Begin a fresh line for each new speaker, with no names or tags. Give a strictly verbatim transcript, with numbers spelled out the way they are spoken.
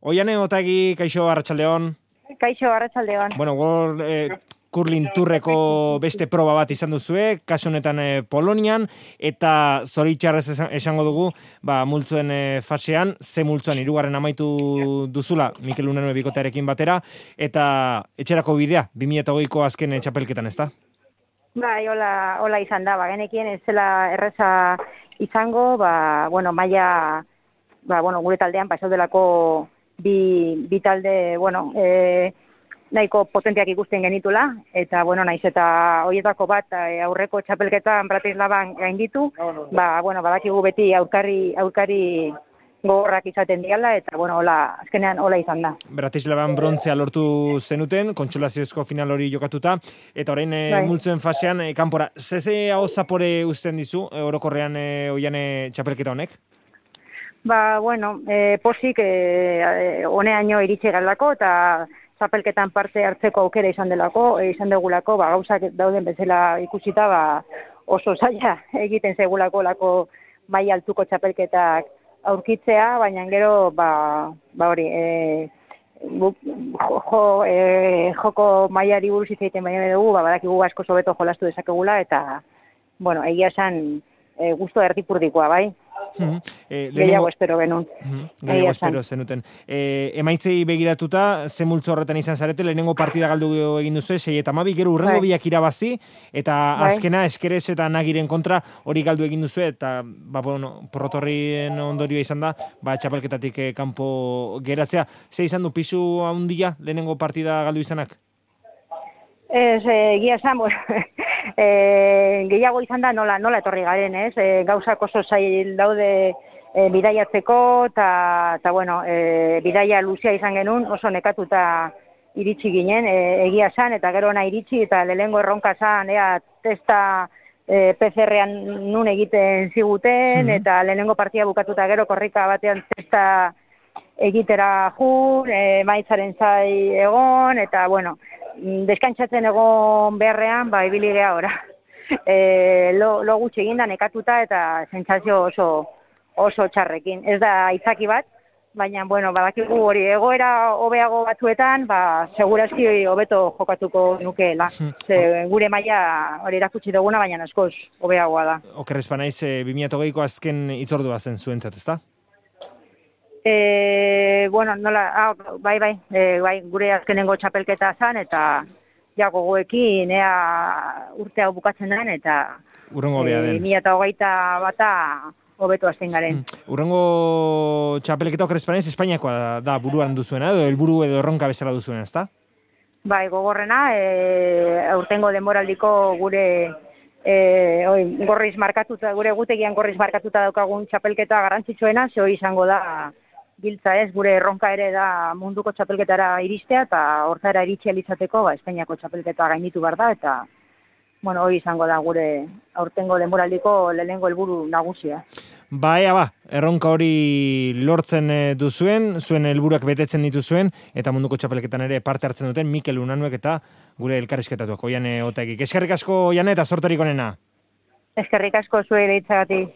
Oiane Otagi, kaixo, arratsaldeon.
Kaixo, arratsaldeon.
Bueno, gor eh, kurlin turreko beste proba bat izan duzue, kasu honetan eh, Polonian, eta zoritxarrez esango dugu, ba, multzoen eh, fasean, ze multzoan hirugarren amaitu duzula, Mikel Unanue bikotearekin batera, eta etxerako bidea, bi mila hogeiko azken eh, txapelketan, ezta?
Bai, hola, hola izan da, ba, genekien ez zela erreza izango, ba, bueno, maila, ba, bueno, gure taldean, ba, esaudelako bi, bi talde, bueno, e, nahiko potenteak ikusten genitula, eta, bueno, naiz eta horietako bat e, aurreko txapelketan Bratislavan gainditu, ba, bueno, badakigu beti aurkari, aurkari gogorrak izaten diala, eta, bueno, hola, azkenean hola izan da.
Bratislavan brontzea lortu zenuten, kontsolaziozko final hori jokatuta, eta orain e,
Bai.
multzoen fasean, e, kanpora, zeze hau zapore uzten dizu, e, orokorrean e, Oiane txapelketa honek?
Ba, bueno, e, posik e, honeaino iritsi galako eta txapelketan parte hartzeko aukera izan delako, e, izan degulako, ba, gauzak dauden bezala ikusita, ba, oso zaila egiten segulako lako maila altuko txapelketak aurkitzea, baina gero, ba, ba hori, e, jo, jo, e, joko mailari buruz hitz egiten baina dugu, ba, badakigu asko hobeto jolastu dezakegula, eta, bueno, egia esan, e, gusto erdipurdikoa, bai?
Mm-hmm. eh,
Gehiago espero genuen.
Mm-hmm. Gehiago espero zenuten. Eh, emaitzei begiratuta, ze multzo horretan izan zarete, lehenengo partida galdu egin duzu, sei eta hamabi, gero urrengo
Bai.
biak irabazi, eta
Bai.
azkena eskerez eta nagiren kontra hori galdu egin duzu, eta ba, bueno, porrotorrien ondorioa izan da, ba, txapelketatik eh, kanpo geratzea. Ze izan du pisu handia lehenengo partida galdu izanak?
Ez, egia esan, bueno, e, gehiago izan da nola, nola etorri garen, ez? E, gauzak oso zail daude e, bidaiatzeko, eta, bueno, e, bidaia luzea izan genuen, oso nekatuta iritsi ginen, e, egia esan, eta gero ona iritsi, eta lehengo erronka zan, ea, testa e, P C R-an nun egiten ziguten,
Mhm.
eta lehenengo partia bukatuta gero korrika batean testa egitera jun, e, maitzaren zai egon, eta, bueno, deskantzatzen egon beharrean, ba, ibili geha ora. E, lo, lo gutxi eginda nekatuta eta sentsazio oso, oso txarrekin. Ez da aitzaki bat, baina, bueno, badakigu hori egoera hobeago batzuetan, ba, segurazki hobeto jokatuko nukeela. Ze, gure maila hori erakutsi duguna, baina askoz hobeagoa da.
Okerrez banaiz, e, bi mila hogeiko azken hitzordua zen zuentzat, ezta?
E, bueno, nola, ah, bai, bai, e, bai, gure azkenengo txapelketa zan, eta ja gogoekin, ea urte hau bukatzen den, eta
Urrengo hobea den.
e, mila eta hogeita bata hobeto azten garen.
Mm. Urrengo txapelketa okerrez banaiz, Espainiakoa da, da buruan duzuena, edo helburu edo erronka bezala duzuena, ezta?
Bai, gogorrena, e, aurtengo denboraldiko gure e, oi, gorriz markatuta, gure gutegian gorriz markatuta daukagun txapelketa garrantzitsuena, ze hori izango da giltza ez, gure erronka ere da munduko txapelketara iristea, eta hortara iritsi alizateko, ba, Espainiako txapelketa gainditu behar da, eta, bueno, hori izango da gure aurtengo denboraldiko lehenengo helburu nagusia.
Ba, ea ba, erronka hori lortzen eh, duzuen, zuen helburuak betetzen dituzuen, eta munduko txapelketan ere parte hartzen duten Mikel Unanuek eta gure elkarrizketatuak, Oiane Otagi. Eskerrik asko, Oiane, eta sorterik onena.
Eskerrik asko zuei deitzagatik.